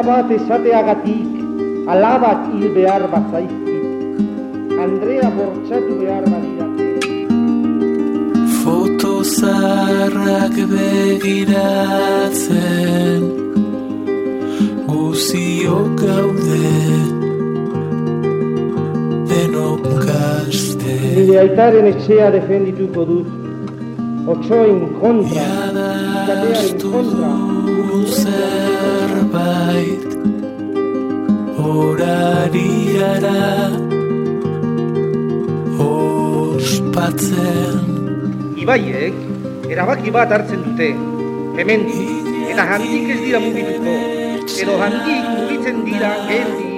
bat esateagatik, alabak hil behar bazaizkit, Andrea bortxatu behar badirate. Foto zaharrak begiratzen, guziok gaude, denok gazte. Nire aitaren etxea defendituko dut, otsoen kontra, ikatearen kontra. Zerbait horari gara ospatzen. Ibaiek, erabaki bat hartzen dute, hemendik, eta handik ez dira mugituko, edo handik mugitzen dira geldi,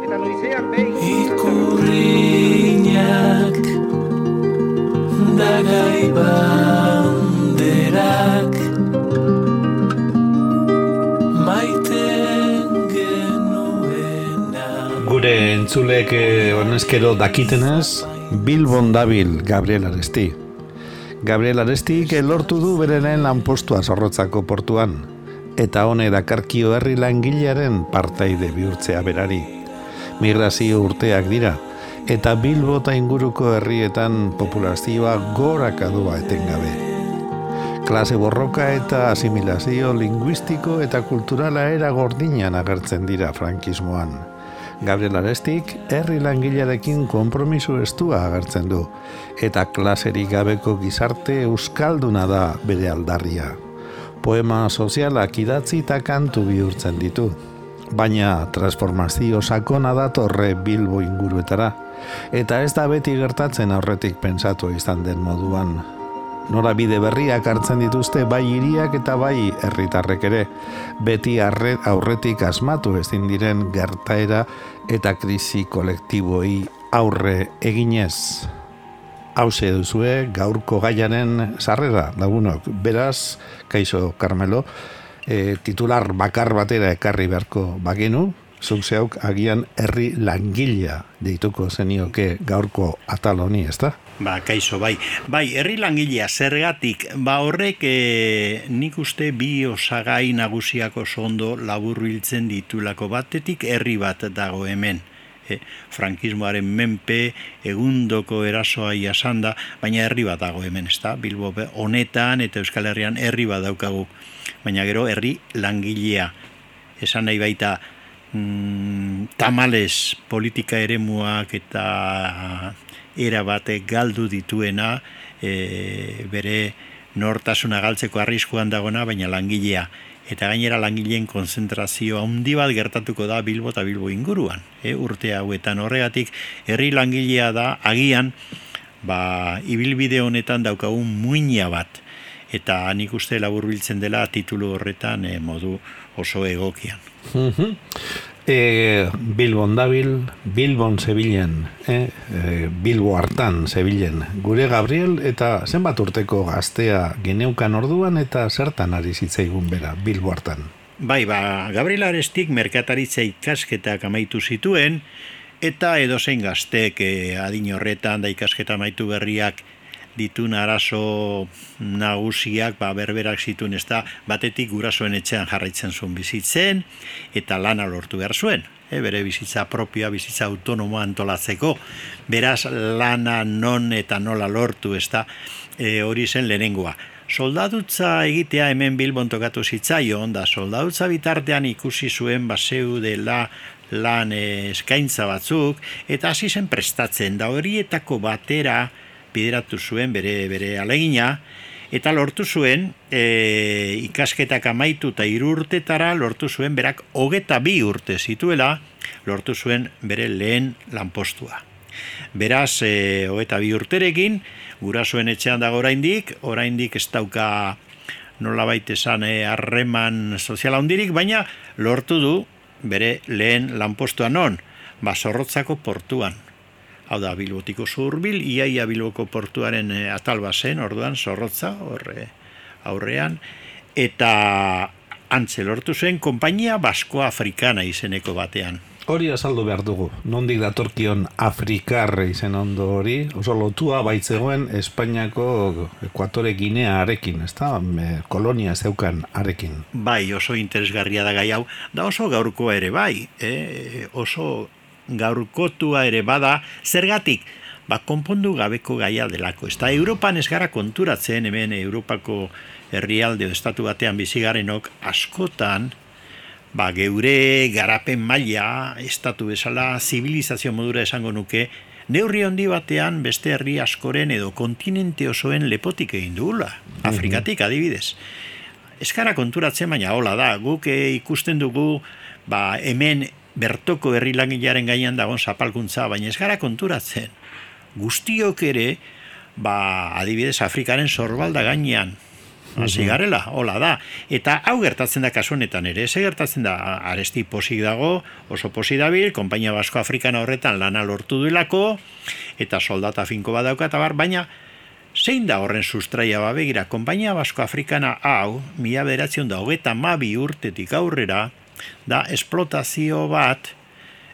eta noizean behin. Ikurriñak, dagai banderak, gure entzulek honezkero dakitenez, Bilbon dabil Gabriel Aresti. Gabriel Arestik lortu du berenen lanpostua Zorrotzako portuan, eta hone dakarkio herri langilearen partaide bihurtzea berari. Migrazio urteak dira, eta Bilbo eta inguruko herrietan populazioa gorakadua etengabe. Klase borroka eta asimilazio linguistiko eta kulturala era gordinan agertzen dira frankismoan. Gabriel Arestik herri langilearekin konpromiso estua agertzen du, eta klaserik gabeko gizarte euskalduna da bere aldarria. Poema sozialak idatzi eta kantu bihurtzen ditu, baina transformazio sakona datorre Bilbo inguruetara, eta ez da beti gertatzen aurretik pentsatu izan den moduan. Norabide berriak hartzen dituzte bai hiriak eta bai herritarrek ere, beti aurretik asmatu ezin diren gertaera eta krisi kolektiboi aurre eginez. Hauxe duzue gaurko gaiaren sarrera, lagunok. Beraz, kaixo Carmelo, titular bakar batera ekarri beharko bagenu, zuk zeuk agian herri langilea deituko zenioke gaurko atal honi, ezta? Kaixo, bai, herri langilea zergatik, horrek nik uste bi osagai nagusiak oso ondo laburbiltzen ditulako. Batetik herri bat dago hemen, frankismoaren menpe, egundoko erasoa jasanda, baina herri bat dago hemen, ezta? Bilbo honetan eta Euskal Herrian herri bat daukagu, baina gero herri langilea, esan nahi baita, tamales politika eremuak eta era batek galdu dituena, bere nortasuna galtzeko arriskuan dagona, baina langilea. Eta gainera langileen konzentrazio handi bat gertatuko da Bilbo eta Bilbo inguruan. Urte hauetan horregatik, herri langilea da agian, ibilbide honetan daukagun muina bat. Eta nik uste laburbiltzen dela titulu horretan modu oso egokian. Bilbon dabil, Bilbon zebilen, Bilbo hartan zebilen. Gure Gabriel eta zenbat urteko gaztea geneukan orduan eta zertan ari zitzaigun bera Bilbo hartan? Gabriel Arestik merkataritza ikasketak amaitu zituen, eta edozein gaztek adin horretan da ikasketa amaitu berriak ditun arazo nagusiak berberak zituen, ez da batetik gurasoen etxean jarraitzen zuen bizitzen eta lana lortu behar zuen, bere bizitza propioa, bizitza autonomoa antolatzeko, beraz lana non eta nola lortu, ez da hori zen lehenengoa. Soldadutza egitea hemen Bilbon tokatu zitzaion, da soldadutza bitartean ikusi zuen zeudela lan eskaintza batzuk, eta hasi zen prestatzen, da horietako batera bideratu zuen bere alegina, eta lortu zuen ikasketak amaitu eta 3 urtetara lortu zuen berak 22 urte zituela, lortu zuen bere lehen lanpostua. Beraz, 22 urterekin, gurasoen etxean dago oraindik ez dauka nolabait esan harreman soziala handirik, baina lortu du bere lehen lanpostua non, Zorrotzako portuan. Hau da, Bilbotiko zurbil, iaia Bilboko portuaren atal bazen, orduan, Zorrotza, aurrean, eta antze lortu zen, konpainia Basko Afrikana izeneko batean. Hori azaldu behar dugu. Nondik datorkion Afrikar izen ondo hori, oso lotua baitzegoen Espainiako Ekuatore Ginea arekin, ezta? Kolonia zeukan arekin. Bai, oso interesgarria da gai hau, da oso gaurkoa ere bai, oso gaurkotua ere bada, zergatik, konpondu gabeko gaia delako. Ez da, Europan ez gara konturatzen, hemen Europako herrialde estatu batean bizigarenok askotan, geure garapen maila, estatu bezala, zibilizazio modura esango nuke, neurri handi batean beste herri askoren edo kontinente osoen lepotik egin dugula, Afrikatik adibidez. Ez gara konturatzen, baina hola da, guk ikusten dugu, hemen bertoko herri langilearen gainean dagoen zapalkuntza, baina ez gara konturatzen. Guztiok ere, adibidez, Afrikaren sorbalda gainean, hasi garela, hola da. Eta hau gertatzen da kasu honetan ere, ze gertatzen da, Aresti posik dago, oso posik dabil, Konpainia Basko Afrikana horretan lana lortu duelako, eta soldata finko badauka, eta baina zein da horren sustraia begira, Konpainia Basko Afrikana hau, 1992 urtetik aurrera, da esplotazio bat,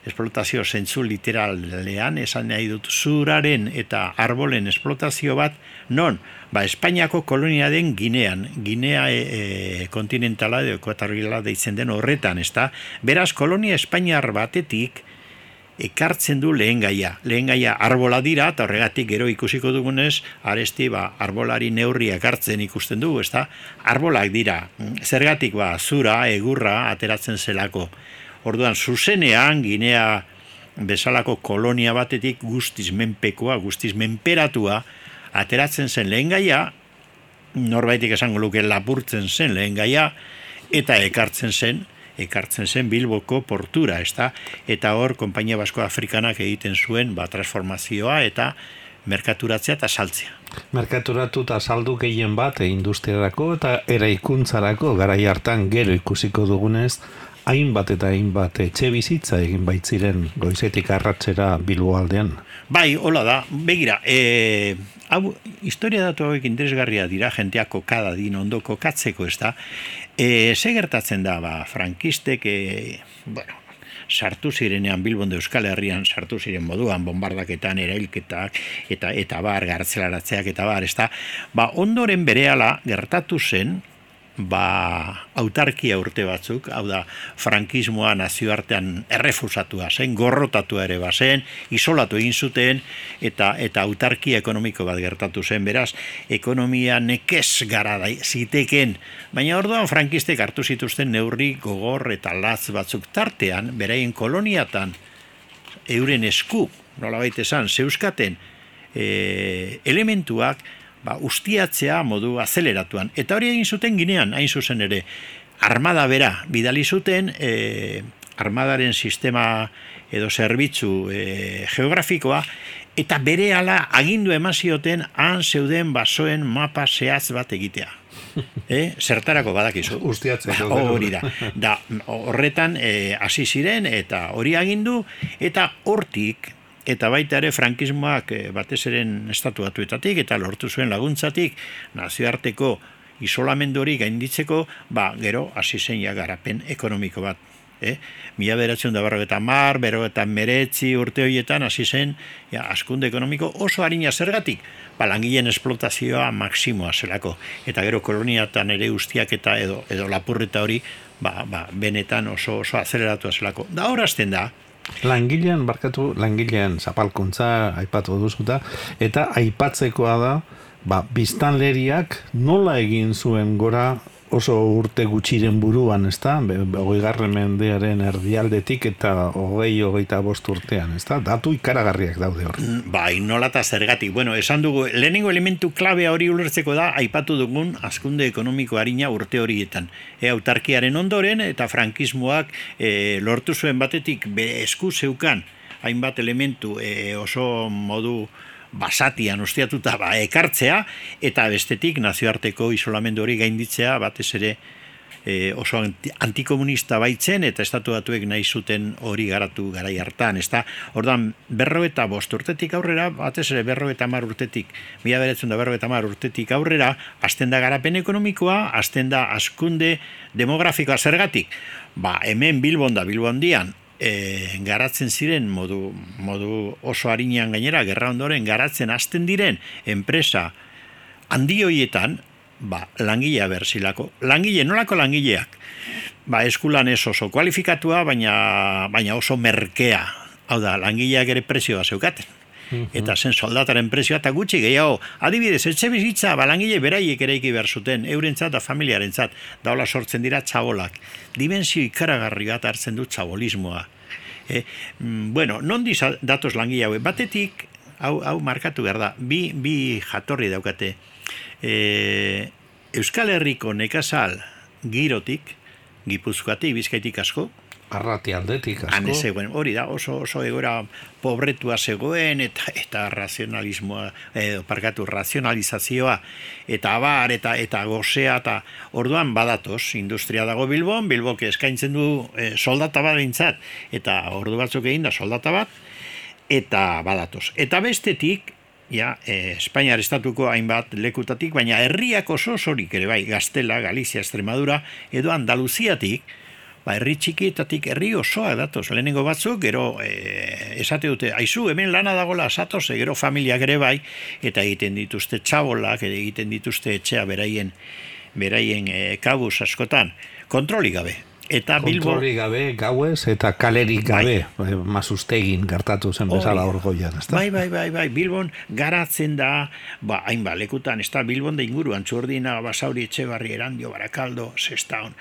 esplotazio zentzu literalean, esan nahi dut zuraren eta arbolen esplotazio bat, non, Espainiako kolonia den Ginean, Ginea kontinentala edo ekuatoriala deitzen den horretan, ezta? Beraz, kolonia espainiar batetik ekartzen du lehen gaia arbola dira, eta horregatik gero ikusiko dugunez, Aresti arbolari neurriak hartzen ikusten dugu, ezta? Arbolak dira, zergatik zura, egurra ateratzen zelako. Orduan, zuzenean, Ginea bezalako kolonia batetik guztiz menpekoa, guztiz menperatua, ateratzen zen lehen gaia, norbaitik esango luke lapurtzen zen lehen gaia, eta ekartzen zen Bilboko portura, ezta? Eta hor, Konpainia Basko Afrikanak egiten zuen transformazioa eta merkaturatzea eta saltzea. Merkaturatu eta saldu gehien bat industriarako eta eraikuntzarako garai hartan gero ikusiko dugunez, hainbat eta hainbat etxe bizitza egin baitziren goizetik arratsera Bilbo aldean. Bai, hola da, begira, hau, historia datu hauek interesgarria dira, jenteak kokada din ondo kokatzeko, ez da, ze gertatzen da, frankistek, sartu zirenean Bilbon de Euskal Herrian, sartu ziren moduan, bombardaketan, erailketak, eta gartzelaratzeak, eta ez da, ondoren berehala gertatu zen, autarkia urte batzuk, hau da, frankismoa nazioartean errefusatua zen, gorrotatua ere bazen, isolatu egin zuten, eta autarkia ekonomiko bat gertatu zen, beraz, ekonomia nekez gara ziteken, baina orduan frankistek hartu zituzten neurri gogor eta latz batzuk tartean, beraien koloniatan, euren esku, nolabait esan, zeuskaten elementuak, ustiatzea modu azeleratuan. Eta hori egin zuten Ginean, hain zuzen ere, armada bera bidali zuten, armadaren sistema edo zerbitzu geografikoa, eta berehala agindu eman zioten han zeuden basoen mapa zehatz bat egitea. Zertarako badakizu. Ustiatzeko. Hori da. Horretan hasi ziren eta hori agindu, eta hortik, eta baita ere frankismoak batez eren estatu batuetatik eta lortu zuen laguntzatik nazioarteko isolamendu hori gainditzeko, gero hasi zen garapen ekonomiko bat. 1950, urte horietan hasi zen hazkunde ekonomiko oso arina zergatik, langileen esplotazioa maksimoa zelako, eta gero koloniatan ere ustiak eta edo lapurreta hori benetan oso azeleratua zelako. Da horazten da, Langileen zapalkuntza aipatu duzuta, eta aipatzekoa da, biztanleriak nola egin zuen gora oso urte gutxiren buruan, ezta? 20. mendearen erdialdetik eta 25 urtean, ezta? Datu ikaragarriak daude hor. Bai, nola eta zergatik. Bueno, esan dugu, lehenengo elementu klabea hori ulertzeko da, aipatu dugun hazkunde ekonomiko harina urte horietan. Autarkiaren ondoren eta frankismoak lortu zuen batetik esku zeukan hainbat elementu oso modu basatian ustiatuta ekartzea, eta bestetik nazioarteko isolamendu hori gainditzea, batez ere oso antikomunista baitzen, eta estatu batuek nahi zuten hori garatu garai hartan, ezta? Orduan, 55 urtetik aurrera, batez ere 50 urtetik, 1950 urtetik aurrera, hasten da garapen ekonomikoa, hasten da hazkunde demografikoa zergatik. Hemen Bilbon da, Bilbondian, garatzen ziren modu oso harinean gainera, gerra ondoren garatzen hasten diren enpresa handi hoietan, langilea berzilako. Nolako langileak? Eskulan ez oso kualifikatua, baina oso merkea. Hau da, langileak ere prezioa zeukaten. Eta zen soldataren prezioa, eta gutxi gehiago. Adibidez, etxe bizitza, langile beraiek eraiki behar zuten, eurentzat eta familiarentzat, da hola sortzen dira txabolak. Dimensio ikaragarri bat hartzen du txabolismoa. Nondi datoz langile hau? Batetik, hau markatu behar da, bi jatorri daukate. Euskal Herriko nekazal girotik, Gipuzkoatik, Bizkaitik asko, Arrati aldetik asko. Hori da, oso egoera pobretua zegoen, eta razionalizazioa, eta abar, eta gozea, eta orduan badatoz, industria dago Bilbok eskaintzen du soldata bat dintzat, eta ordu batzuk egin da soldata bat, eta badatoz. Eta bestetik, Espainiar estatuko hainbat lekutatik, baina herriak oso osorik ere bai, Gaztela, Galizia, Extremadura, edo Andaluziatik, herri txikietatik herri osoa datoz, lehenengo batzuk, gero esate dute, aizu, hemen lana dagoela satoz, gero familiak ere bai, eta egiten dituzte txabolak, egiten dituzte etxea beraien kabuz askotan, kontrolik gabe. Eta kontrolik gabe, gauez, eta kalerik gabe, Mazustegin gertatu zen bezala orgoian, ez da? Bai, Bilbon garatzen da, hainbat lekutan, ez da, Bilbon da inguruan, Txurdina, Basauri, Etxebarri, Erandio, Barakaldo, Sestaon,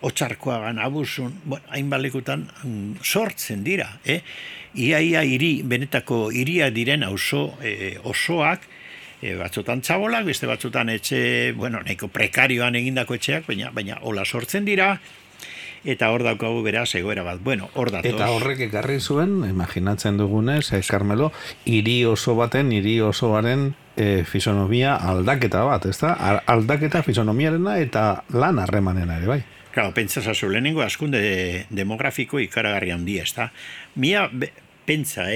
Otsarkoagan, Abusun, hainbat lekutan sortzen dira, Ia benetako hiria diren osoak, batzutan txabolak, beste batzutan etxe, nahiko prekarioan egindako etxeak, baina hola sortzen dira, eta hor daukagu beraz egoera bat. Hor datoz. Eta horrek ekarri zuen, imaginatzen dugunez, Carmelo, hiri osoaren fisonomia aldaketa bat, ez da? Aldaketa fisonomiarena eta lan harremanena ere, bai? Claro, pentsazazu, lehenengo askunde demografiko ikaragarri handia, ez da? Pentsa,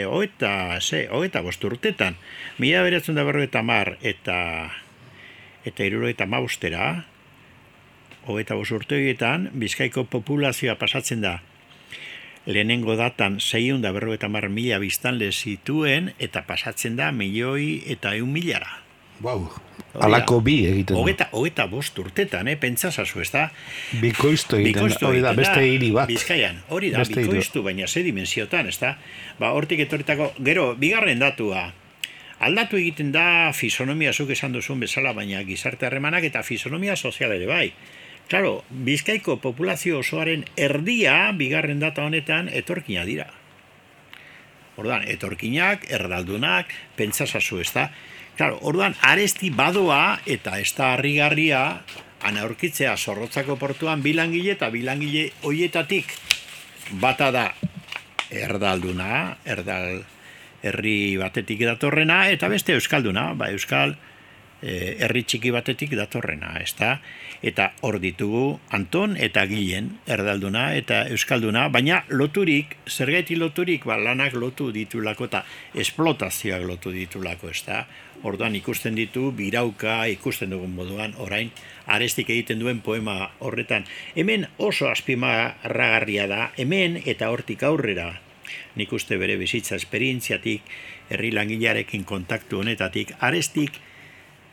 hogeita bost urtetan, 1950 eta 1975 hogeita bost urte horietan, Bizkaiko populazioa pasatzen da lehenengo datan 650.000 biztanle zituen, eta pasatzen da 1.100.000. Wow, alako bi egiten du. Hogeita bost urtetan, pentsazazu, ez da? Bikoiztu egiten da, hori da, beste hiri bat. Bizkaian, hori da, bikoiztu, baina ze dimensiotan, ez da? Hortik etorritako, gero, bigarren datua, aldatu egiten da fisonomia zuk esan duzun bezala, baina gizarte harremanak eta fisonomia sozial ere bai. Claro, Bizkaiko populazio osoaren erdia, bigarren data honetan, etorkina dira. Orduan, etorkinak, erdaldunak, pentsazazu, ez da? Claro, orduan, aresti badoa eta ez da harrigarria, aurkitzea Zorrotzako portuan bilangile eta bilangile hoietatik bata da erdalduna, herri batetik datorrena, eta beste euskalduna, euskal herri txiki batetik datorrena, ez da? Eta hor ditugu Anton eta Gilen, erdalduna eta euskalduna, baina loturik, zergaiti loturik, lanak lotu ditulako eta esplotazioak lotu ditulako, ez da? Orduan ikusten ditu, birauka, ikusten dugun moduan, orain, arestik egiten duen poema horretan. Hemen oso azpimarragarria da, hemen eta hortik aurrera, nik uste bere bizitza esperientziatik, herri langilearekin kontaktu honetatik, arestik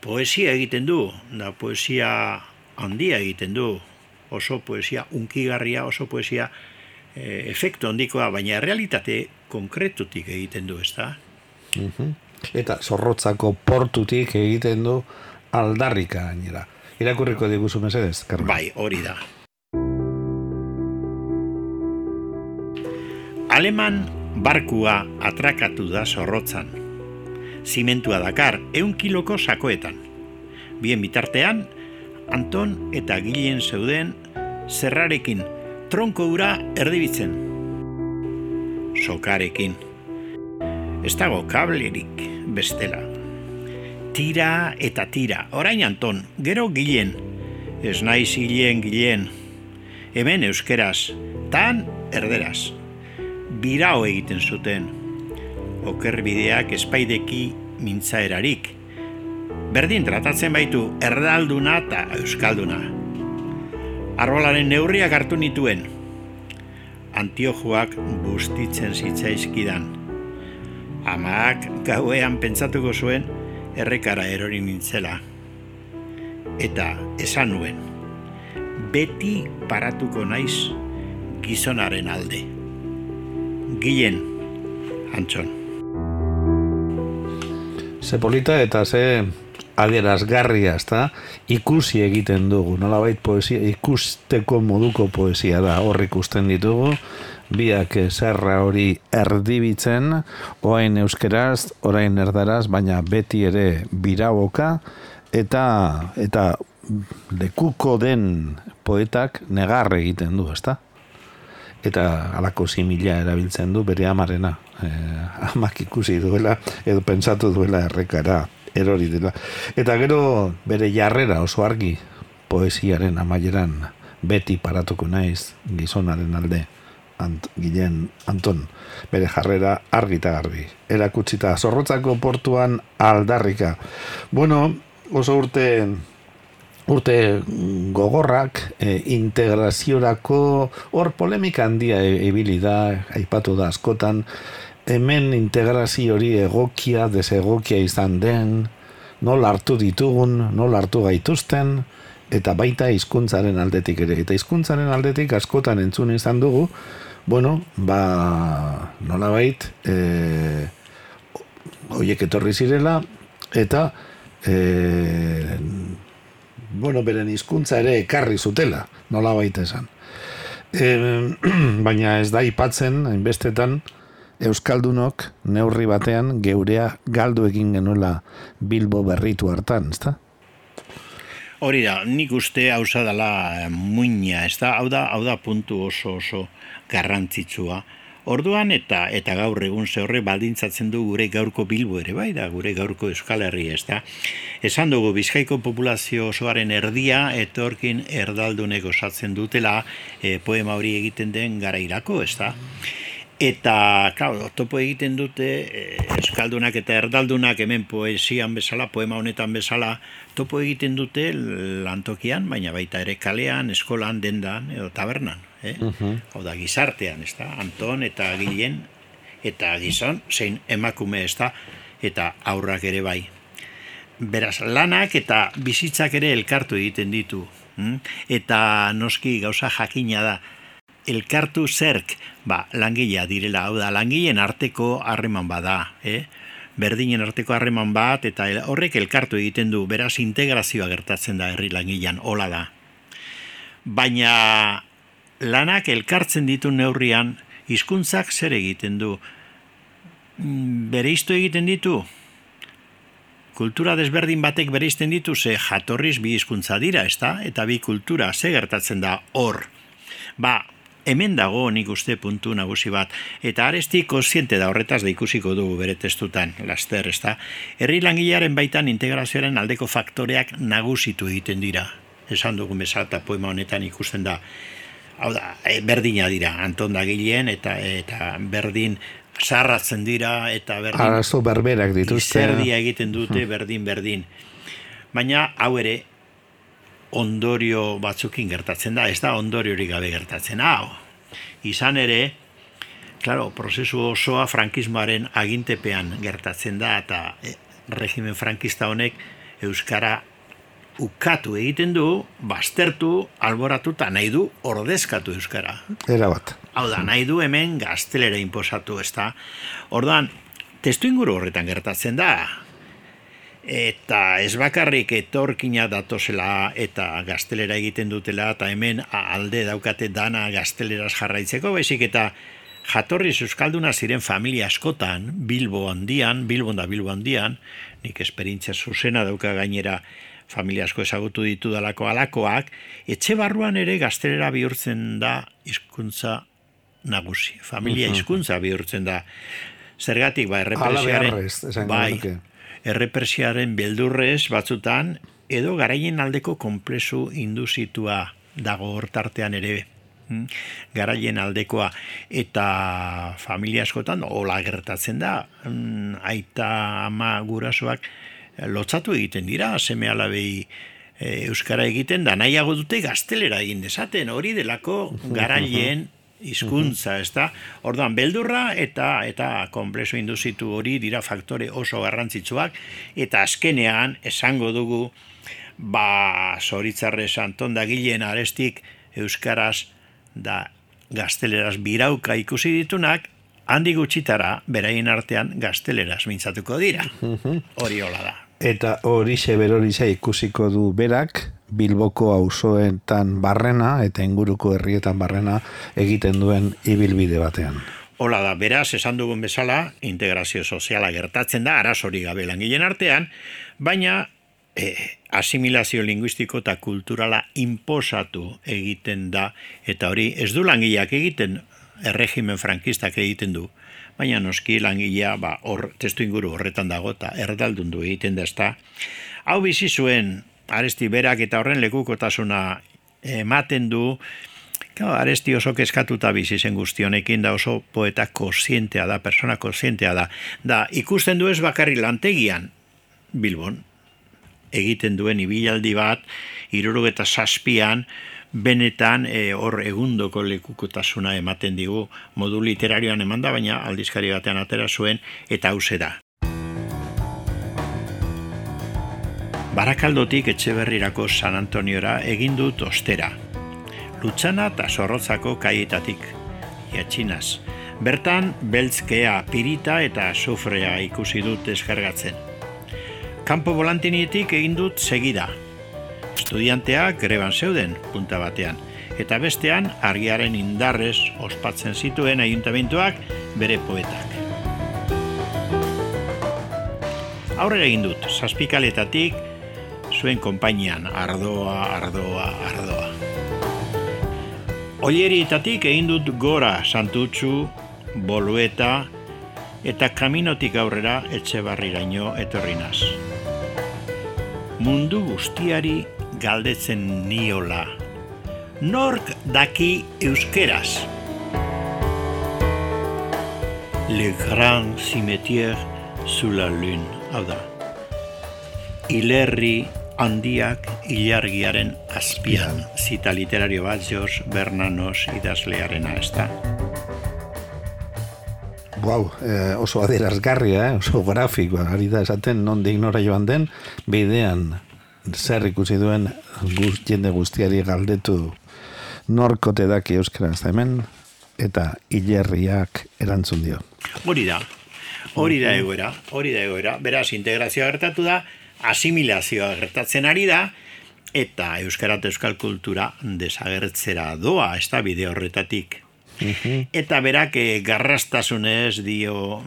poesia egiten du, da poesia handia egiten du, oso poesia unkigarria, oso poesia efektu handikoa, baina realitate konkretutik egiten du, ez da? Eta Zorrotzako portutik egiten du aldarrika gainera. Irakurriko diguzu mesedez, Carmen? Bai, hori da. Aleman barkua atrakatu da Zorrotzan. Zimentua dakar 100 kiloko sakoetan. Bien bitartean, Anton eta Gilen zeuden zerrarekin, tronko ura erdibitzen. Sokarekin. Ez dago kablerik bestela. Tira eta tira. Orain Anton, gero Gilen. Ez naiz Gilen. Hemen euskeraz, tan erderaz. Birao egiten zuten. Okerbideak espaideki mintzaerarik. Berdin tratatzen baitu erdalduna eta euskalduna. Arbolaren neurriak hartu nituen. antiojoak bustitzen zitzaizkidan. Amak gauean pentsatuko zuen errekara erori nintzela. Eta esan nuen, beti paratuko naiz gizonaren alde. Gilen, Antxon. Ze polita eta ze adierazgarria, ezta? Ikusi egiten dugu, nolabait poesia, ikusteko moduko poesia da, hor ikusten ditugu, biak zerra hori erdibitzen, orain euskeraz, orain erdaraz, baina beti ere biraboka, eta lekuko den poetak negar egiten du, ezta? Eta halako simila erabiltzen du bere amarena. Amak ikusi duela, edo pentsatu duela errekara erori dela. Eta gero bere jarrera oso argi poesiaren amaieran beti paratuko naiz gizonaren alde. Gilen Anton, bere jarrera argi eta garbi. Erakutsita Zorrotzako portuan aldarrika. Bueno, oso urte gogorrak, integraziorako hor polemika handia ibili da, aipatu da askotan, hemen integrazio hori egokia, desegokia izan den, nola hartu ditugun, nola hartu gaituzten, eta baita hizkuntzaren aldetik ere. Eta hizkuntzaren aldetik askotan entzun izan dugu, bueno, nolabait, horiek etorri zirela, eta beren hizkuntza ere ekarri zutela, nolabait esan. Baina ez da aipatzen, hainbestetan, euskaldunok neurri batean geurea galdu egin genuela Bilbo berritu hartan, ezta? Hori da, nik uste hauza dela muina, ezta? Hau da puntu oso garrantzitsua. Orduan eta gaur egun ze horre baldintzatzen du gure gaurko Bilbo ere, bai da, gure gaurko Euskal Herria, ezta? Esan dugu Bizkaiko populazio osoaren erdia etorkin erdaldunek osatzen dutela poema hori egiten den garairako, ezta? Eta, claro, topo egiten dute euskaldunak eta erdaldunak hemen poesian bezala, poema honetan bezala, topo egiten dute lantokian, baina baita ere kalean, eskolan, dendan edo tabernan. Hau da, gizartean, ez da? Anton eta Gilen eta gizon, zein emakume, ez da? Eta aurrak ere bai. Beraz, lanak eta bizitzak ere elkartu egiten ditu. Eta noski gauza jakina da, elkartu zerk, langilea direla, hau da, langileen arteko harreman bada, berdinen arteko harreman bat, eta horrek elkartu egiten du, beraz integrazioa gertatzen da herri langilean, hola da. Baina lanak elkartzen ditu neurrian, hizkuntzak zer egiten du? Bereiztu egiten ditu? Kultura desberdin batek bereizten ditu, ze jatorriz bi hizkuntza dira, ezta? Eta bi kultura, ze gertatzen da hor? Hemen dago nik uste puntu nagusi bat, eta Aresti kontziente da horretaz da ikusiko dugu bere testutan, laster, ezta? Herri langilearen baitan integrazioaren aldeko faktoreak nagusitu egiten dira. Esan dugun bezala eta poema honetan ikusten da, hau da, berdina dira, Anton da Gilen eta berdin sarratzen dira, eta berdin arazo berberak dituzte. Izerdia egiten dute berdin. Baina hau ere, ondorio batzukin gertatzen da, ez da ondoriorik gabe gertatzen. Izan ere, claro, prozesu osoa frankismoaren agintepean gertatzen da, eta regimen frankista honek euskara ukatu egiten du, baztertu, alboratu, eta nahi du ordezkatu euskara. Erabat. Hau da, nahi du hemen gaztelera inposatu, ez da. Orduan, testu inguru horretan gertatzen da, eta ez bakarrik etorkina datozela eta gaztelera egiten dutela, eta hemen alde daukate dana gazteleraz jarraitzeko, baizik eta jatorriz euskalduna ziren familia askotan, Bilbon da Bilbo handian, nik esperientzia zuzena dauka gainera familia asko ezagutu ditu dalako alakoak, etxe barruan ere gaztelera bihurtzen da hizkuntza nagusi. Familia hizkuntza bihurtzen da. Zergatik, errepresiaren beldurrez batzutan, edo garaien aldeko konplexu induzitua dago hortartean ere, garaien aldekoa, eta familia askotan hola gertatzen da, aita ama gurasoak lotzatu egiten dira, seme alabei euskara egiten da, nahiago dute gaztelera egin dezaten, hori delako garaien hizkuntza, ezta? Orduan, beldurra eta konplexo induzitu hori dira faktore oso garrantzitsuak, eta azkenean esango dugu, Zoritzarrez Anton Dagilen Arestik euskaraz da gazteleraz birauka ikusi ditunak, handi gutxitara beraien artean gazteleraz mintzatuko dira. Hori hola da. Eta horixe berorixe ikusiko du berak, Bilboko auzoetan barrena eta inguruko herrietan barrena egiten duen ibilbide batean. Hola da, beraz, esan dugun bezala, integrazio soziala gertatzen da, arazori gabe langileen artean, baina asimilazio linguistiko eta kulturala inposatu egiten da, eta hori ez du langileak egiten, erregimen frankistak egiten du, baina noski langilea hor testu inguru horretan dago eta erdaldun du egiten da, ezta. Hau bizi zuen Aresti berak eta horren lekukotasuna ematen du. Aresti oso kezkatuta bizi zen guzti honekin, da oso poeta kontzientea da, persona kontzientea da. Da ikusten du ez bakarri lantegian Bilbon egiten duen ibilaldi bat 77an benetan hor egundoko lekukotasuna ematen digu, modu literarioan emanda, baina aldizkari batean atera zuen, eta hauxe da. Barakaldotik Etxeberrirako San Antoniora egin dut ostera. Lutzana eta Zorrotzako kaietatik, Iatxinaz. Bertan, beltzkea, pirita eta sufrea ikusi dut deskargatzen. Kanpo volantinietik egin dut segida. Estudianteak greban zeuden, punta batean, eta bestean argiaren indarrez ospatzen zituen ayuntamentuak bere poetak. Aurrera egin dut, Zazpikaletatik, zuen konpainian, ardoa. Ollerietatik egin dut gora Santutxu, Bolueta, eta kaminotik aurrera Etxebarriraino etorrinaz. Mundu guztiari galdetzen niola. Nork daki euskeraz? Le grand cimetière sous la lune, hau da. Hilerri handiak ilargiaren azpian, zita literario bat George Bernanos idazlearena, ez da? Oso adierazgarria, oso grafikoa, ari da esaten nondik nora joan den, bidean zer ikusi duen jende guztiari galdetu norkote daki euskaraz hemen, eta hilerriak erantzun dio. Hori da egoera. Beraz, integrazioa gertatu da, asimilazioa gertatzen ari da, eta euskara eta euskal kultura desagertzera doa, ez da bide horretatik. Eta berak garrastasunez dio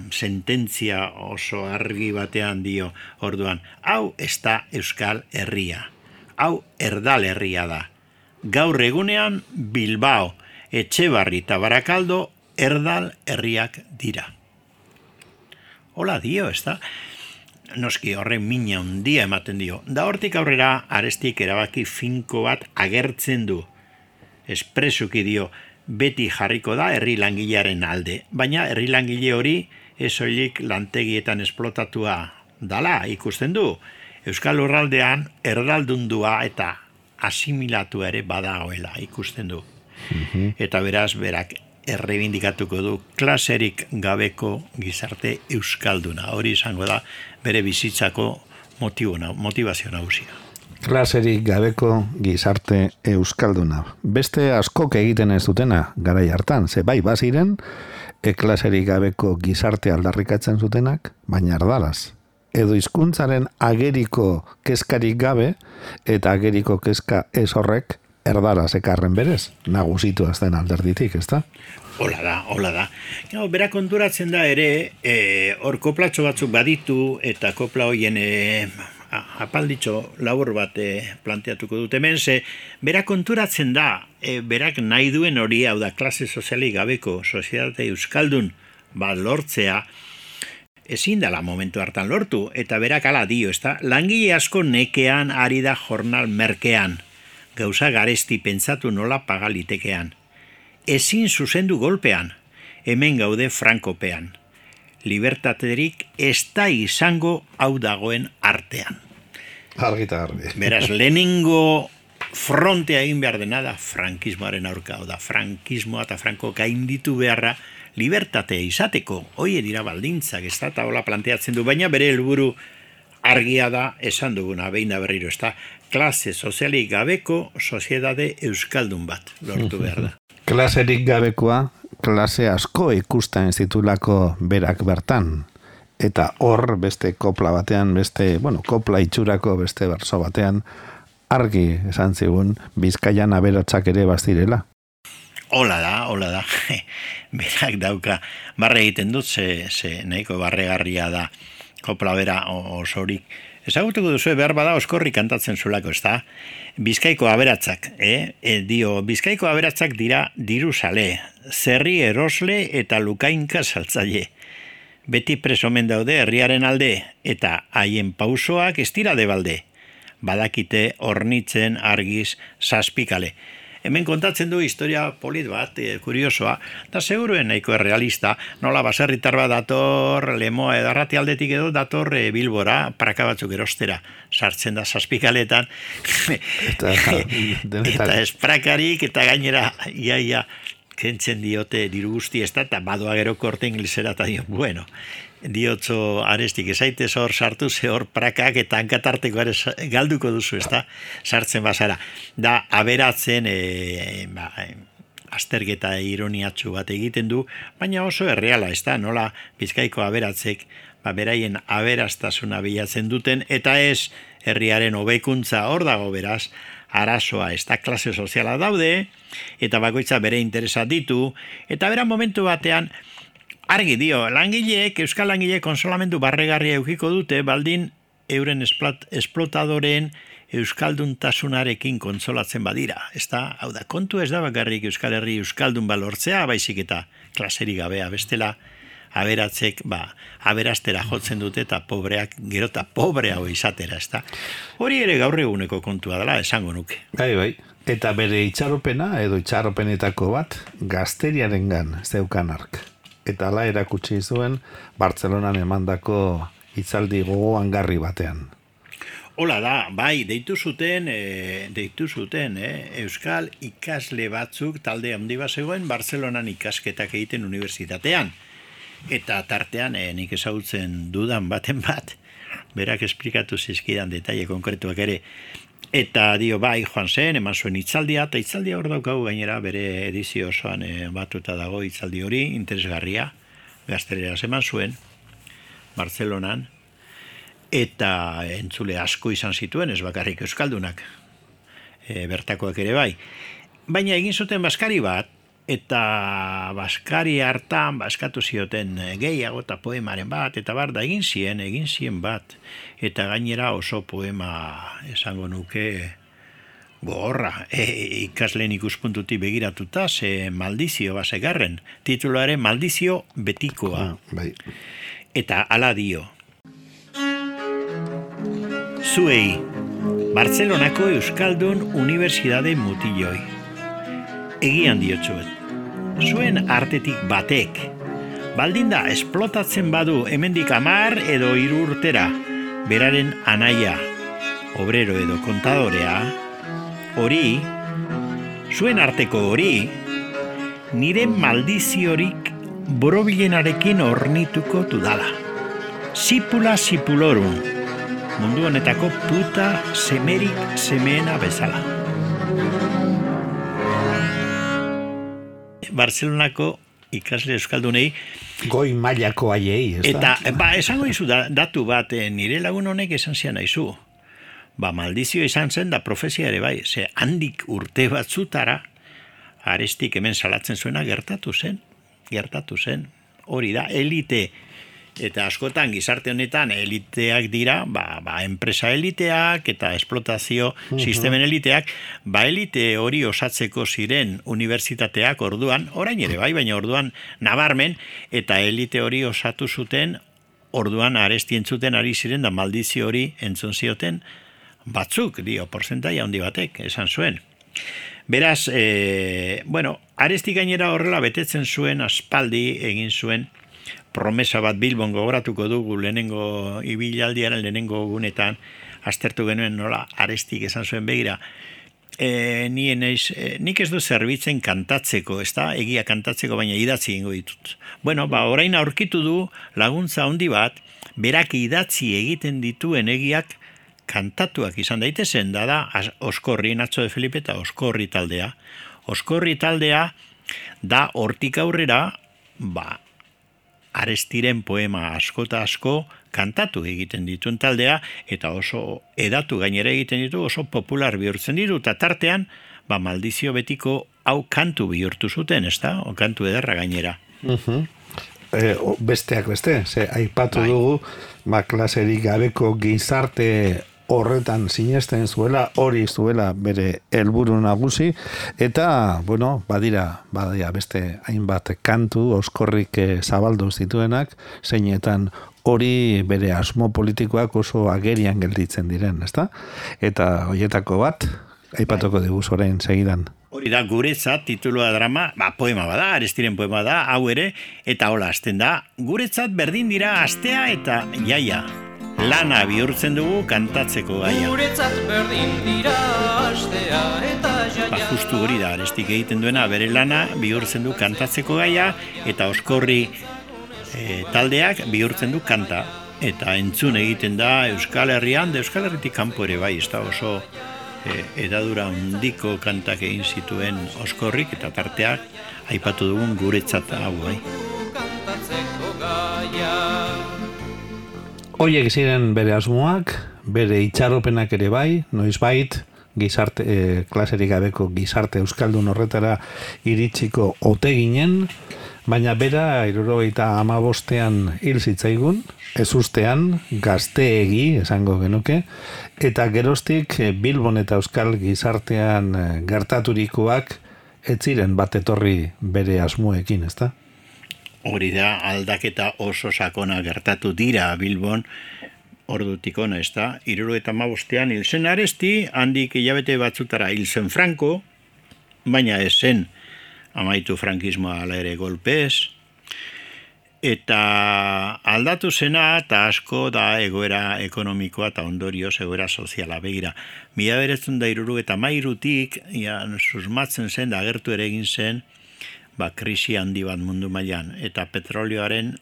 sententzia oso argi batean dio orduan, hau ez da euskal herria, hau erdal herria da. Gaur egunean Bilbao, Etxebarri eta Barakaldo erdal herriak dira. Hola dio, ez da? Noski horren mina handia ematen dio. Da hortik aurrera Arestik erabaki finko bat agertzen du. Espresuki dio, beti jarriko da herri langilearen alde, baina herri langile hori ez soilik lantegietan esplotatua dala ikusten du. Euskal Lurraldean erdaldundua eta asimilatu ere badagoela ikusten du. Eta beraz berak errebindikatuko du klaserik gabeko gizarte euskalduna. Hori izango da bere bizitzako motivazio nagusia. Klaserik gabeko gizarte euskalduna. Beste askok egiten ez dutena garai hartan, ze bai baziren, klaserik gabeko gizarte aldarrikatzen zutenak, baina erdalaz. Edo hizkuntzaren ageriko kezkarik gabe, eta ageriko kezka ez horrek erdalaz ekarren berez, nagusitu azten alderditik, ez da? Hola da. Bera konturatzen da ere, hor koplatxo batzuk baditu, eta kopla hoien apalditxo labur bat planteatuko dut hemen, ze bera konturatzen da, berak nahi duen hori, hau da, klase sozialik gabeko sozietate euskaldun bat lortzea, ezin dela momentu hartan lortu, eta berak ala dio, ezta? Langile asko nekean ari da jornal merkean, gauza garesti pentsatu nola pagalitekean. Ezin zuzendu golpean, hemen gaude frankopean. Libertaterik ez da izango hau dagoen artean. Argita garbi. Beraz, lehenengo frontea egin behar dena da frankismoaren aurka, da frankismoa eta franko gainditu beharra libertatea izateko, hoi dira baldintzak, ez da, eta hola planteatzen du, baina bere helburu argia da, esan duguna, behin da berriro, ez da, klase sozialik gabeko soziedade euskaldun bat lortu behar da. Klaserik gabekoa, klase asko ikusten zitulako berak bertan. Eta hor, beste kopla batean, kopla itxurako beste berso batean, argi esan zigun, Bizkaian aberatsak ere bazirela. Hola da. Berak dauka, barre egiten dut, ze nahiko barregarria da kopla bera osorik. Ezagutuko duzu, behar bada oskorri kantatzen zulako, ez da? Bizkaiko aberatsak, Bizkaiko aberatsak dira diruzale, zerri erosle eta lukainka saltzaile. Beti presomen daude herriaren alde, eta haien pausoak ez dira debalde. Badakite hornitzen argiz zazpikale. Hemen kontatzen du historia polit bat, kuriosoa, eta seguruen nahiko realista, nola baserritar bat dator Lemoa edo Arratialdetik edo dator Bilbora, praka batzuk erostera, sartzen da zazpikaletan, eta esprakarik, eta gainera, iaia, kentzen diote diru guzti ez da, eta badoa gero korte inglesera, eta dio, bueno, diotzo Arestik, ezaitez hor sartu, ze hor prakak eta hankatarteko ere galduko duzu, ez da, sartzen bazara. Da, aberatzen, azterketa ironiatsu bat egiten du, baina oso erreala, ez da, nola Bizkaiko aberatzek, beraien aberastasuna bilatzen duten, eta ez herriaren hobekuntza hor dago beraz, arazoa, ez da klase soziala daude, eta bakoitza bere interesa ditu, eta bera momentu batean, argi dio, langileek, euskal langileek konsolamendu barregarria eukiko dute, baldin euren esplotadoreen euskalduntasunarekin konsolatzen badira. Ez da, hau da, kontu ez da bakarrik Euskal Herri euskaldun balortzea, baizik eta klaserik gabea bestela, aberatzek, aberastera jotzen dute eta pobreak, gero eta pobreago izatera, ez da. Hori ere gaur eguneko kontua dela, esango nuke. Bai. Eta bere itxaropena, edo itxaropenetako bat, gazteriarengan zeukan ark. Eta ala erakutsi zuen Bartzelonan emandako hitzaldi gogoan garri batean. Hola da, bai, deitu zuten, euskal ikasle batzuk talde handi bat zegoen Bartzelonan ikasketak egiten unibertsitatean. Eta tartean, nik ezagutzen dudan baten bat, berak esplikatu zizkidan detaile konkretuak ere. Eta dio, bai, joan zen, eman zuen hitzaldia, eta hitzaldia hor daukagu gainera bere edizio osoan batuta dago hitzaldi hori, interesgarria, gazteleraz eman zuen, Bartzelonan, eta entzule asko izan zituen, ez bakarrik euskaldunak, bertakoak ere bai. Baina egin zuten baskari bat, eta baskari hartan baskatu zioten gehiago eta poemaren bat, eta da egin zien bat, eta gainera oso poema esango nuke gogorra, ikasleen ikuspuntutik begiratuta, ze maldizio basegarren, tituluaren maldizio betikoa. Bai. Eta ala dio. Zuei, Bartzelonako Euskaldun Unibertsitate mutiloi. Egian diotsuet. Zuen artetik batek, baldin da esplotatzen badu hemendik 10 edo 3 urtera, beraren anaia, obrero edo kontadorea, hori, zuen arteko hori, nire maldiziorik borobilenarekin ornituko dudala. Zipula zipulorum, mundu honetako puta semerik semeena bezala. Bartzelonako ikasle euskaldunei goi mailako haiei, ez da? Eta, esango izu datu bat, nire lagun honek esan zian aizu. Maldizio izan zen da profesia ere bai, ze handik urte batzutara, Arestik hemen salatzen zuena gertatu zen. Hori da, elite, eta askotan gizarte honetan eliteak dira, enpresa eliteak eta esplotazio sistemen eliteak, elite hori osatzeko ziren unibertsitateak orduan, orain ere bai, baina orduan nabarmen, eta elite hori osatu zuten, orduan Aresti entzuten ari ziren, da maldizio hori entzun zioten batzuk, porcentaia handi batek, esan zuen. Beraz, Aresti gainera horrela betetzen zuen, aspaldi egin zuen, promesa bat Bilbon gogoratuko dugu lehenengo ibilaldiaren lehenengo gunetan aztertu genuen nola Arestik esan zuen begira. nik ez du zerbitzen kantatzeko, ez da, egia kantatzeko, baina idatzi egingo ditut. Bueno, orain aurkitu du laguntza handi bat, berak idatzi egiten dituen egiak kantatuak izan daitezen, da Oskorri, Nacho de Felipe eta Oskorri taldea. Oskorri taldea da hortik aurrera, Arestiren poema asko eta asko kantatu egiten dituen taldea, eta oso edatu gainera egiten ditu, oso popular bihurtzen ditu, eta tartean, Maldizio betiko hau kantu bihurtu zuten, ez da? Kantu ederra gainera. Besteak beste, aipatu dugu, klaserik gabeko gizarte horretan sinesten zuela, hori zuela bere helburu nagusi, eta, badira beste hainbat kantu Oskorrik zabaldu zituenak, zeinetan hori bere asmo politikoak oso agerian gelditzen diren, ezta? Eta horietako bat, aipatuko dugu orain segidan. Hori da, guretzat, titulua drama, poema bada, Arestiren poema da, hau ere, eta hola hasten da, guretzat berdin dira astea eta jaia. Lana bihurtzen dugu kantatzeko gaia. Guretzat berdin dira astea eta jaia. Justu hori da, Arestik egiten duena, bere lana bihurtzen du kantatzeko gaia, eta Oskorri taldeak bihurtzen du kanta. Eta entzun egiten da Euskal Herrian, Euskal Herritik kanpo ere bai, ez da oso edadura handiko kantak egin zituen Oskorrik, eta tarteak aipatu dugun guretzat hau bai. Kantatzeko gaia. Hoiek ziren bere asmoak, bere itxaropenak ere bai, noizbait, klaserik gabeko gizarte euskaldun horretara iritsiko ote ginen, baina bera 75ean hil zitzaigun, ezustean, gazteegi esango genuke, eta geroztik Bilbon eta Euskal gizartean gertaturikoak ez ziren bat etorri bere asmoekin, ezta? Hori da, aldaketa oso sakona gertatu dira Bilbon, ordutik ona, ez da? 75ean hil zen Aresti, handik hilabete batzutara hil zen Franco, baina ez zen amaitu frankismoa ala ere golpez, eta aldatu zena, eta asko da egoera ekonomikoa eta ondorioz egoera soziala begira. 1973tik susmatzen zen, da agertu ere egin zen, krisi handi bat mundu mailan, eta petrolioaren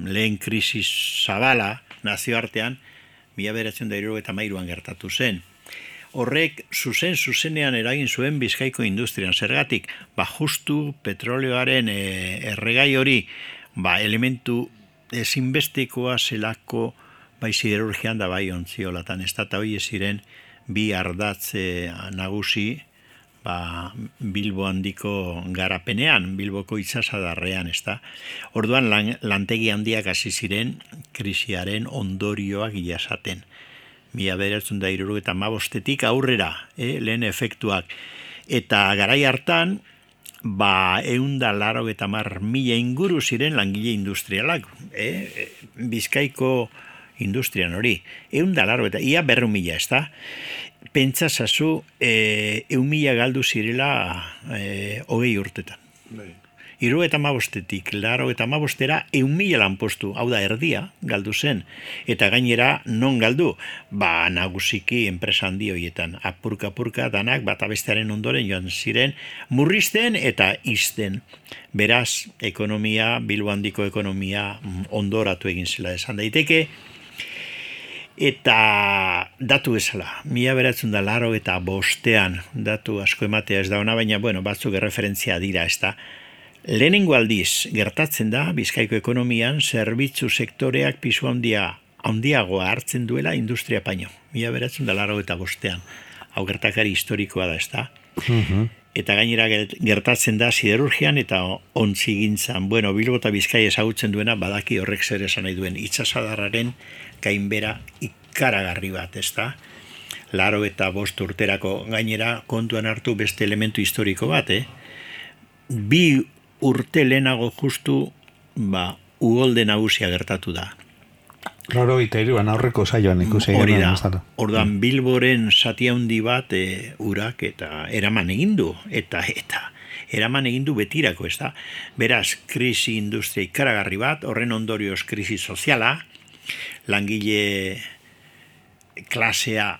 lehen krisi zabala nazioartean 1973an gertatu zen. Horrek zuzenean eragin zuen Bizkaiko industrian. Zergatik, justu petrolioaren erregai hori, elementu ezinbestekoa zelako bai siderurgian da bai ontziolatan. Ez da hori ziren bi ardatz nagusi Bilbo handiko garapenean, Bilboko itsasadarrean, ez da. Orduan lantegi handiak hasi ziren krisiaren ondorioak jasaten. 1975etik aurrera, lehen efektuak. Eta garai hartan, 180.000 inguru ziren langile industrialak. Bizkaiko industrian hori. 180.000, ia 200.000, ez da. Pentsasazu 100.000 galdu zirela 20 urtetan. 75etik 85era 100.000 lanpostu, hau da erdia galdu zen. Eta gainera non galdu? Nagusiki enpresa handi horietan. Apurka danak bata bestearen ondoren joan ziren murrizten eta izten. Beraz, Bilbo handiko ekonomia ondoratu egin zela esan daiteke. Eta datu bezala, 1985ean datu asko ematea ez da ona, baina batzuk erreferentzia dira, ez da. Lehenengo aldiz gertatzen da Bizkaiko ekonomian zerbitzu sektoreak pisu handiagoa hartzen duela industria paino. 1985ean. Hau gertakari historikoa da, ez da. Eta gainera gertatzen da siderurgian eta ontzigintzan. Bilbo eta Bizkai ezagutzen duena badaki horrek zer esan nahi duen itsasadarraren gainbera ikaragarri bat, ez da? 85 urterako gainera kontuan hartu beste elementu historiko bat, 2 urte lehenago justu, ugolde nagusia gertatu da. 83an aurreko saioan ikusi hori da. Orduan Bilboren zati handi bat urak eta eraman egin du eta eraman egin du betirako, ez da? Beraz, krisi industria ikaragarri bat, horren ondorioz krisi soziala, langile klasea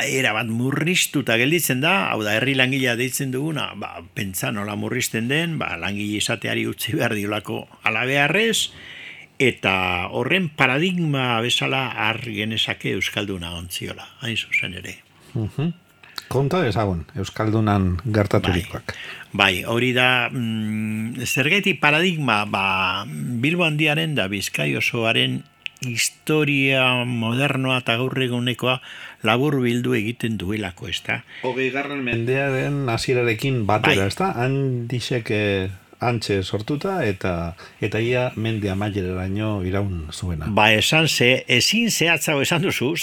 erabat murriztuta gelditzen da, hau da, herri langilea deitzen duguna, pentsa nola murrizten den, langile izateari utzi behar diolako alabeharrez, eta horren paradigma bezala har genezake euskalduna ontziola, hain zuzen ere. Konta ezagun, euskaldunan gertaturikoak. Bai, hori da, zergatik paradigma, Bilbo Handiaren da Bizkai osoaren historia modernoa eta gaur egunekoa labur bildu egiten duelako, ezta? 20. mendearen hasierarekin batera, ezta? Handixek antxe sortuta eta ia mende amaieraraino iraun zuena. Esan ezin zehatzago esan duzu,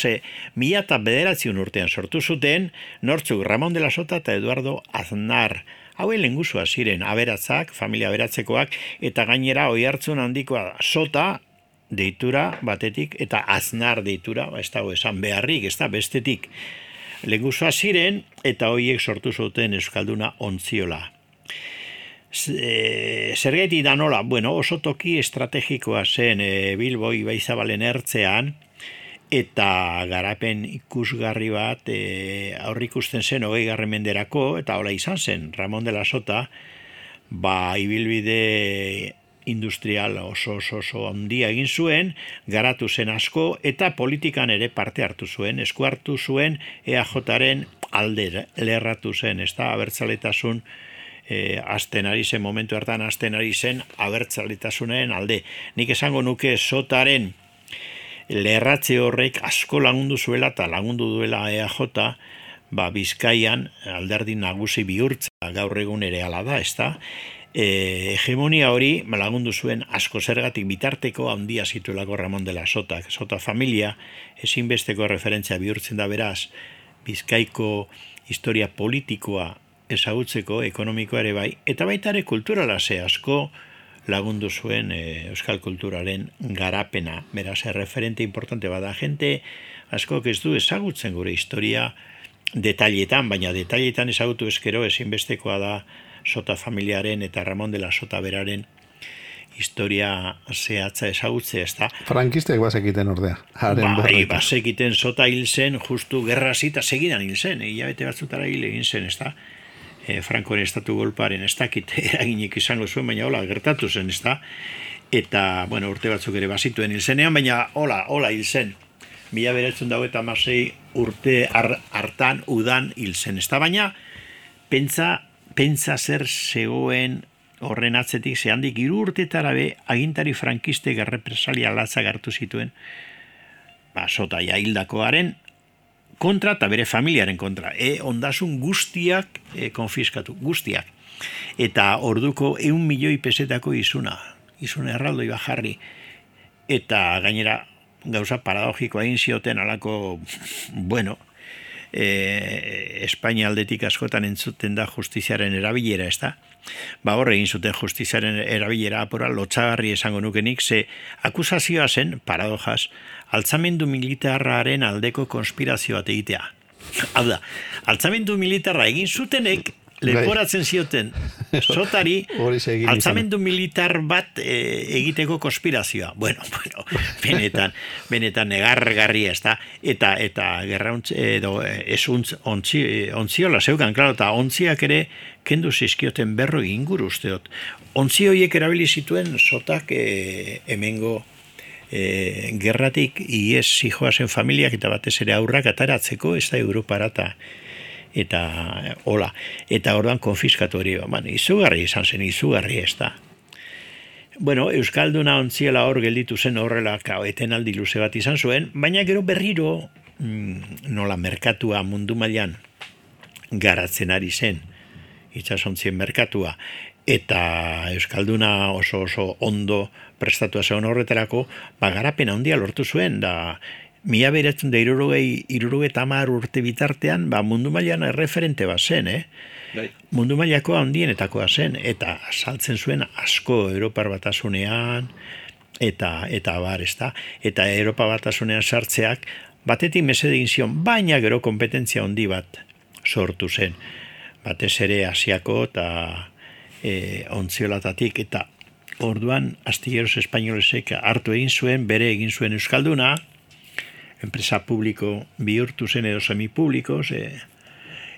1909 urtean sortu zuten nortzuk Ramon de la Sota eta Eduardo Aznar. Hauen lehengusua ziren aberatzak, familia aberatzekoak, eta gainera oihartzun handikoa Sota deitura batetik eta Aznar deitura, ez dago esan beharrik, ez da bestetik. Lehengusua ziren eta hoiek sortu zuten euskalduna ontziola. Zergatik da nola, oso toki estrategikoa zen Bilbo Ibaizabalen ertzean, eta garapen ikusgarri bat aurrikusten zen 20. menderako, eta hola izan zen, Ramon de la Sota, ibilbide industrial oso handia egin zuen, garatu zen asko, eta politikan ere parte hartu zuen, esku hartu zuen EAJaren alde lerratu zen, ez da, abertzaletasun azten ari zen, momentu hartan azten ari zen abertzaletasunaren alde. Nik esango nuke Sotaren lerratze horrek asko lagundu zuela eta lagundu duela EAJ, Bizkaian alderdi nagusi bihurtza gaur egun ere hala da, ezta? Hegemonia hori lagundu zuen asko zergatik bitarteko handia zituelako Ramon de la Sota. Sota familia ezinbesteko referentzia bihurtzen da beraz, Bizkaiko historia politikoa ezagutzeko, ekonomikoa ere bai, eta baita ere kulturala asko lagundu zuen euskal kulturaren garapena. Beraz, referente importante bada, jente asko ez du ezagutzen gure historia detailetan, baina detailetan ezagutu eskero ezinbestekoa da Sota familiaren eta Ramon de la Sota beraren historia zehatza ezagutzea, ez da? Frankistek bazekiten ordea. Bazekiten Sota hil zen, justu gerra zita segidan hil zen, hilabete batzutara hil egin zen, ez da? Frankoen estatu golparen ez dakit eraginik izango zuen, baina hola gertatu zen, ez da? Eta, urte batzuk ere bazituen hil zenean, baina hola hil zen. 1926 urte hartan udan hil zen, ez da? Baina, pentsa zer zegoen horren atzetik, zehandik 3 urtetara be, agintari frankistek errepresalia latzak hartu zituen, Sota hildakoaren kontra eta bere familiaren kontra. Ondasun guztiak konfiskatu, guztiak. Eta orduko 1 milioi pesetako izun erraldoi jarri. Eta gainera gauza paradogikoa egin zioten alako, Espainia aldetik askotan entzuten da justiziaren erabilera, ez da? Horre egin zuten justiziaren erabilera apora, lotxagarri esango nukenik, ze akusazioa zen, paradojaz, altzamendu militarraren aldeko konspirazio bat egitea. Hau da, altzamendu militarra egin zutenek, leporatzen zioten Sotari altzamendu militar bat egiteko konspirazioa. Benetan negargarri ez da. Eta gerra ontziola zeukan, klaro, eta ontziak ere kendu zizkioten 40 inguru usteot. Ontzi horiek erabili zituen Sotak hemengo gerratik ies zijoazen familiak eta batez ere aurrak ataratzeko, ez da Europara eta hola, eta orduan konfiskatu hori, izugarri izan zen, izugarri ez da. Euskalduna ontziela hor gelditu zen horrela etenaldi luze bat izan zuen, baina gero berriro nola merkatua mundu mailan garatzen ari zen, itsasontzien merkatua, eta Euskalduna oso ondo prestatua zegoen horretarako, garapena handia lortu zuen, da 1970 urte bitartean, mundu mailan erreferente bat zen, mundu mailako handienetakoa zen, eta saltzen zuen asko Europar Batasunean, eta bar, ez da? Eta Europa Batasunean sartzeak, batetik mesede egin zion, baina gero kompetentzia handi bat sortu zen. Batez ere Asiako eta ontziolatatik, eta orduan astilleros espainolesek hartu egin zuen, bere egin zuen Euskalduna, enpresa publiko bihurtu zen edo semipublikoz,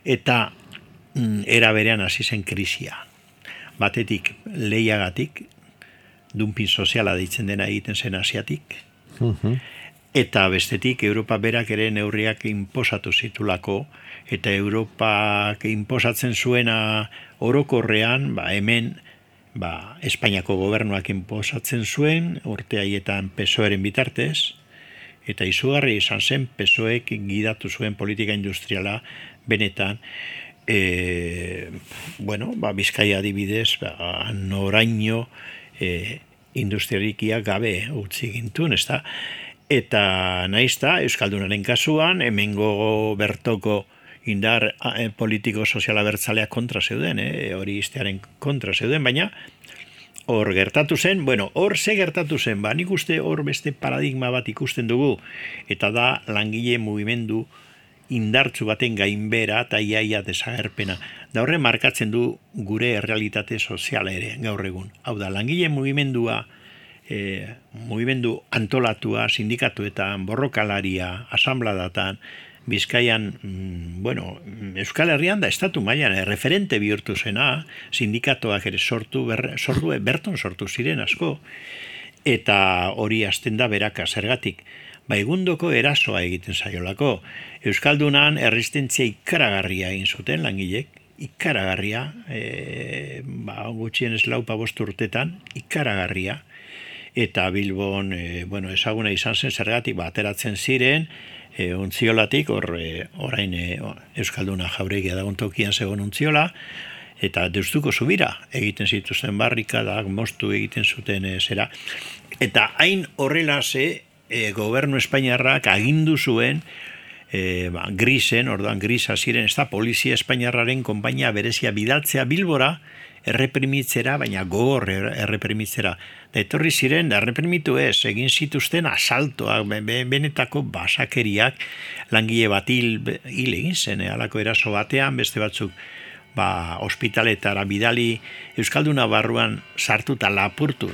eta era berean hasi zen krisia. Batetik lehiagatik, dumping soziala deitzen dena egiten zen asiatik, eta bestetik Europa berak ere neurriak inposatu zitulako, eta Europak inposatzen zuena orokorrean, hemen Espainiako gobernuak inposatzen zuen, urte haietan PSOEren bitartez, eta izugarri izan zen PSOEk gidatu zuen politika industriala benetan, Bizkaia adibidez, noraino industrialikia gabe utzi gintuen, ezta? Eta naizta, Euskaldunaren kasuan, hemengo bertoko indar politiko soziala bertzaleak kontra zeuden, hori iztearen kontra zeuden, baina hor gertatu zen, hor ze gertatu zen, nik uste hor beste paradigma bat ikusten dugu, eta da langile mugimendu indartzu baten gainbera eta iaia desagerpena. Da horre markatzen du gure errealitate soziala ere gaur egun. Hau da, langile mugimendua, mugimendu antolatua, sindikatuetan, borrokalaria, asambladatan, Bizkaian, Euskal Herrian da estatu mailan referente bihurtu zena, sindikatoak ere berton sortu ziren asko, eta hori hasten da beraka zergatik. Egundoko erasoa egiten zaiolako. Euskaldunan erresistentzia ikaragarria egin zuten langilek, ikaragarria, gutxienez 4-5 urtetan, ikaragarria, eta Bilbon, ezaguna izan zen zergatik, ateratzen ziren, Ontziolatik, orain Euskalduna Jauregia dagoen tokian zegoen Ontziola, eta Deustuko Zubira egiten zituzten barrikadak, moztu egiten zuten zera. Eta hain horrela gobernu espainiarrak agindu zuen grisen, orduan grisa ziren, ez da polizia espainiarraren konpainia berezia bidaltzea Bilbora, erreprimitzera, baina gogor erreprimitzera. Da etorri ziren, erreprimitu egin zituzten asaltoak, benetako basakeriak, langile bat hil egin zen, halako eraso batean, beste batzuk ospitaletara bidali, Euskalduna barruan sartu eta lapurtu,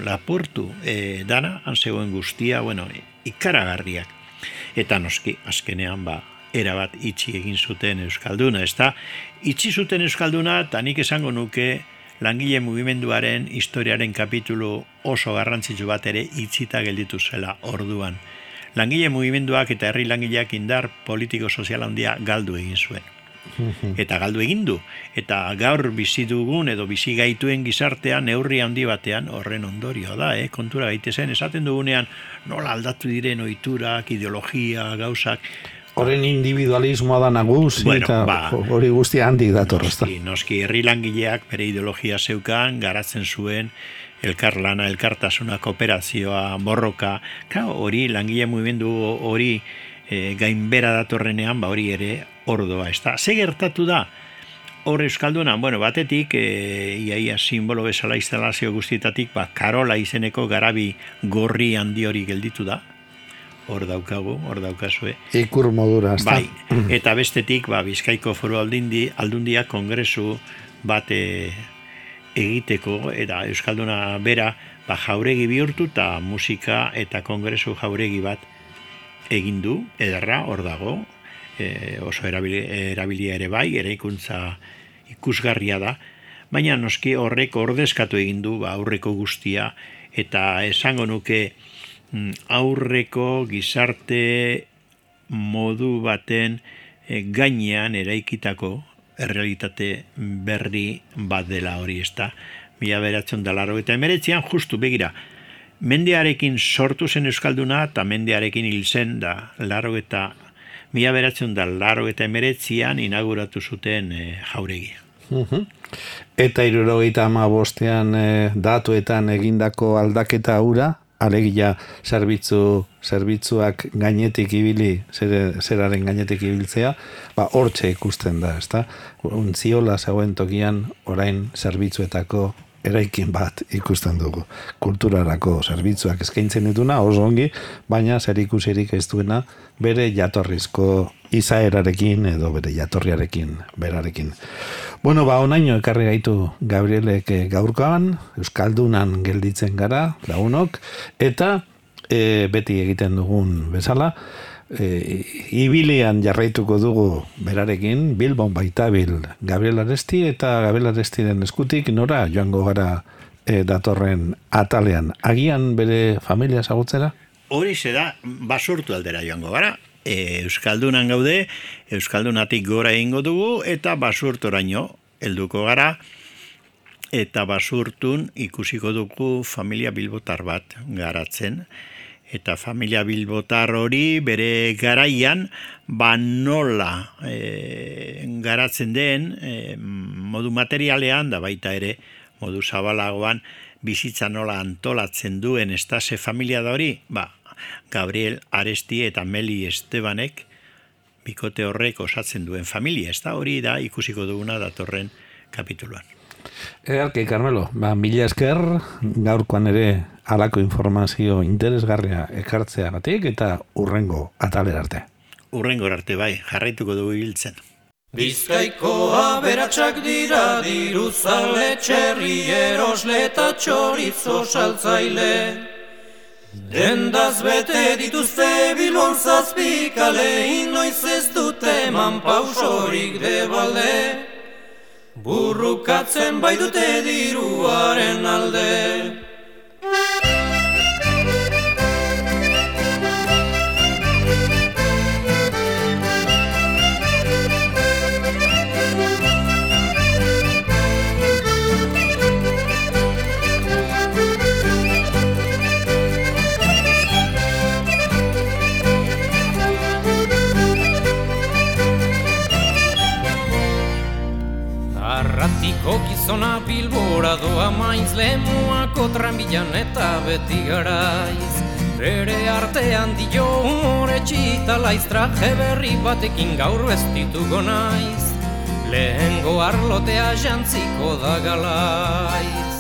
dana, han zegoen guztia, ikaragarriak. Eta noski, azkenean, erabat itxi egin zuten Euskalduna, ezta? Itxi zuten Euskalduna, eta nik esango nuke langile mugimenduaren historiaren kapitulu oso garrantzitsu bat ere itxita gelditu zela orduan. Langile mugimenduak eta herri langileak indar politiko-sozial handia galdu egin zuen. Eta galdu egin du. Eta gaur bizi dugun edo bizi gaituen gizartean neurri handi batean horren ondorio da, kontura gaitezen, esaten dugunean nola aldatu diren ohiturak, ideologia, gauzak. Horren individualismoa da nagusi, eta hori guztia handik datorrezta. Noski, herri langileak bere ideologia zeukan, garatzen zuen, elkarlana, elkartasuna, kooperazioa, borroka, hori langile mugimendu hori gainbera datorrenean, hori ere ordoa, ez da. Ze gertatu da, hor Euskalduna, batetik, iaia simbolo bezala instalazio guztietatik, Karola izeneko garabi gorri handi hori gelditu da, hor daukazue. Ikur modura, ez da. Eta bestetik, Bizkaiko Foru Aldundia kongresu bat egiteko, eta Euskalduna bera, jauregi bihurtu, eta musika eta kongresu jauregi bat egin du, ederra, hor dago, oso erabilia ere eraikuntza ikusgarria da, baina noski horrek ordezkatu egin du aurreko guztia, eta esango nuke aurreko gizarte modu baten gainean eraikitako errealitate berri bat dela hori, ez da. 1989an justu begira, mendearekin sortu zen Euskalduna eta mendearekin hil zen da 1989an inauguratu zuten jauregia. Eta 1975an datuetan egindako aldaketa hura, alegia zerbitzuak gainetik ibili, zeraren gainetik ibiltzea, hortxe ikusten da, ezta? Ontziola zegoen tokian orain zerbitzuetako eraikin bat ikusten dugu. Kulturarako zerbitzuak eskaintzen dituna, oso ongi, baina zerikusirik ez duena bere jatorrizko izaerarekin edo bere jatorriarekin, berarekin. Onaino ekarri gaitu Gabrielek gaurkoan, Euskaldunan gelditzen gara, lagunok, eta beti egiten dugun bezala, Ibilian jarraituko dugu berarekin, Bilbon baitabil Gabriel Aresti, eta Gabriel Arestiren eskutik nora joango gara datorren atalean. Agian bere familia ezagutzera? Horixe da, Basurtu aldera joango gara. Euskaldunan gaude, Euskaldunatik gora egingo dugu, eta Basurtoraino helduko gara, eta Basurtun ikusiko dugu familia bilbotar bat garatzen, eta familia bilbotar hori bere garaian nola garatzen den modu materialean, da baita ere modu zabalagoan bizitza nola antolatzen duen estase familia da hori, Gabriel Aresti eta Meli Estebanek bikote horrek osatzen duen familia, ez da hori da ikusiko duguna datorren kapituluan. Ederki, Carmelo, mila esker gaurkoan ere halako informazio interesgarria ekartzeagatik eta urrengo atalera arte. Urrengo arte bai, jarraituko dugu hiltzen. Bizkaiko aberatsak dira diruzale, txerri erosle eta txorizo saltzaile. Dendaz bete dituzte Bilbon zazpikale, inoiz ez dute eman pausorik debalde. Burrukatzen bai dute diruaren alde. Arratiko gizona Bilbora doa maiz, lemuako tranbilan eta beti garaiz. Bere artean dio humore txitalaiz, traje berri batekin gaur bestituko naiz. Lehengo arlotea jantziko da galaiz.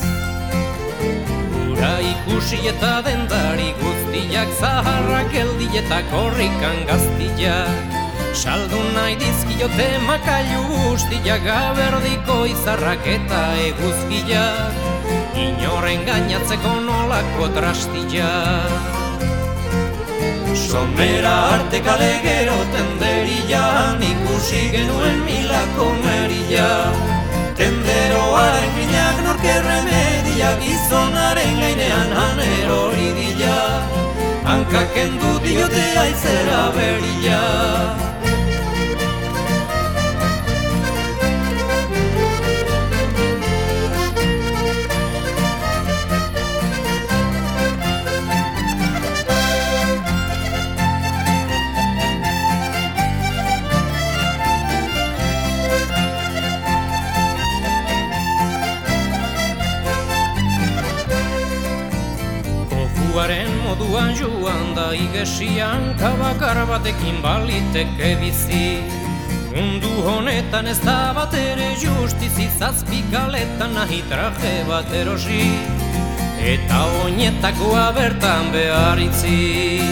Ura ikusi eta dendari guztiak, zaharrak eldi eta korrikan gaztiak. Saldu nahi dizkiote makailu guztiak, gaberdiko izarrak eta eguzkiak, inoren gainatzeko nolako trastiak. Somera arte kale gero tenderian, ikusi genuen milako merila. Tenderoaren grinak norkerre media, gizonaren gainean anerori dila. Hankaken du diote aizera berila. Moduan joan da igesian, kabakar batekin baliteke bizi. Mundu honetan ez da bat ere justizi, zazpikaletan nahi traje bat erosi, eta oinetakoa bertan behar itzi.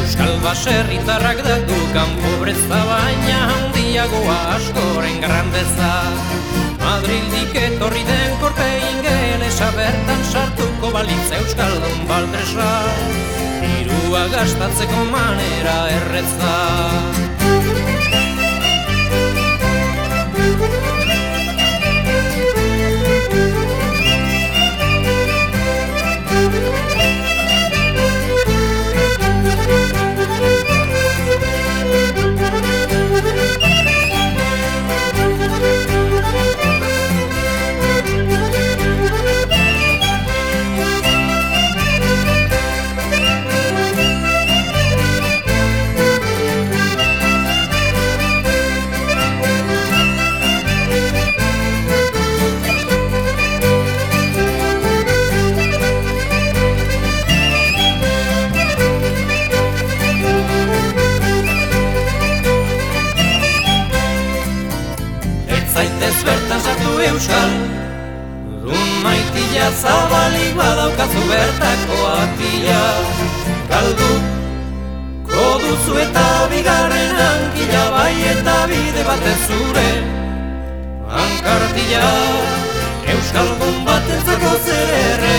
Euskal baserritarrak datukan pobreza, baina handiagoa askoren grandeza. Madrildik etorri den korte ingelesa, bertan sartuko balitz euskaldun baldresa, dirua gastatzeko manera erretza. Euskal, dun maitila zabalik badaukazu bertako atila. Galdu, koduzu eta bigarren hankila, bai eta bide batez zure hankartila. Euskaldun batentzako zer erre,